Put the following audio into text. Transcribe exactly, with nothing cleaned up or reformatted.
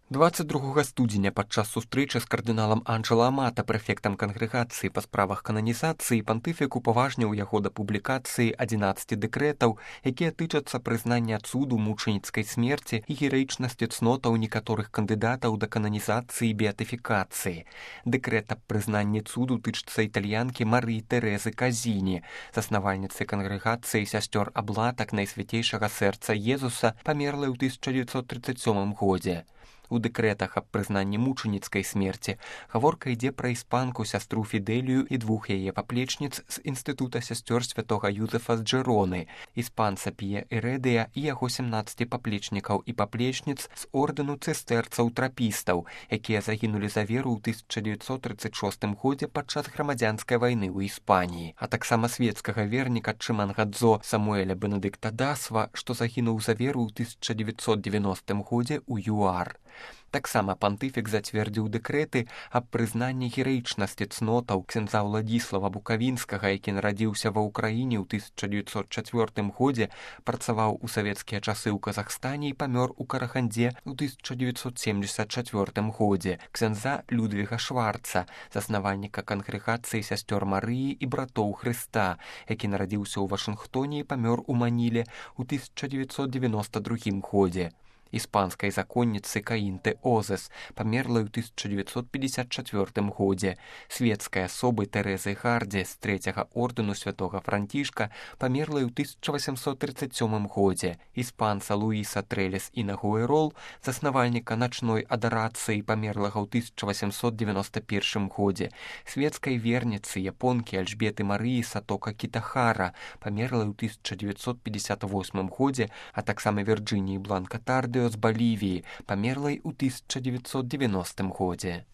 двадцать другога студзеня падчас сустрэчы з кардыналам Анджэла Амата, прэфектам кангрэгацыі па справах кананізацыі, пантыфік упаважніў яго да публікацыі адзінаццаці дэкрэтаў, якія тычацца прызнання цуду мучаніцкай смерці і гераічнасці цнотаў некаторых кандыдатаў да кананізацыі і беатыфікацыі. Дэкрэт аб прызнанні цуду тычыцца італьянкі Марыі Тэрэзы Казіні, заснавальніцы кангрэгацыі сясцёр аблатак Найсвяцейшага сэрца Езуса, памерлай у тысяча дзевяцьсот трыццаць сёмым годзе. У дэкрэтах аб прызнанні мучаніцкай смерці гаворка ідзе пра іспанку сястру Фідэлію і двух яе паплечніц з інстытута сясцёр святога Юзефа з Джэроны, іспанца П'е Эрэдыя і яго сямнаццаці паплечнікаў і паплечніц з ордэну цыстэрцаў-трапістаў, якія загінулі за веру ў тысяча дзевяцьсот трыццаць шостым годзе падчас грамадзянскай вайны ў Іспаніі, а таксама свецкага верніка Чымангадзо Самуэля Бенедыкта Дасва, што загінуў за веру ў тысяча дзевяцьсот дзевяностым годзе ў ЮАР. Таксама пантыфік зацвердзіў дэкрэты аб прызнанні гераічнасці цнотаў ксяндза Ўладзіслава Букавінскага, які нарадзіўся ва ўкраіне ў тысяча дзевяцьсот чацвёртым годзе, працаваў у савецкія часы ў Казахстане і памёр у Карахандзе ў тысяча дзевяцьсот семдзесят чацвёртым годзе, ксяндза Людвіга Шварца, заснавальніка кангрэгацыі сясцёр Марыі і братоў Хрыста, які нарадзіўся ў Вашынгтоне і памёр у Маніле ў тысяча дзевяцьсот девяноста другім годзе. Іспанскай законніцы Каінты Озес, памерлай у тысяча дзевяцьсот пятьдесят чацвёртым годзе, светскай асобы Тэрэзы Гардзе з трэцяга ордэну святога Францішка, памерлай у тысяча васямсот трыццаць сёмым годзе, іспанца Луіса Трэлес і Нагуэрол, заснавальніка начной адарацыі, памерлага ў тысяча васямсот девяноста першым годзе, светскай верніцы японкі Альжбеты Марыі Сатока Кітахара, памерлай у тысяча дзевяцьсот пятьдесят восьмым годзе, а таксама Вірджыніі Бланка Тардыо з Балівіі, памерлай у тысяча дзевяцьсот девяностым годзе.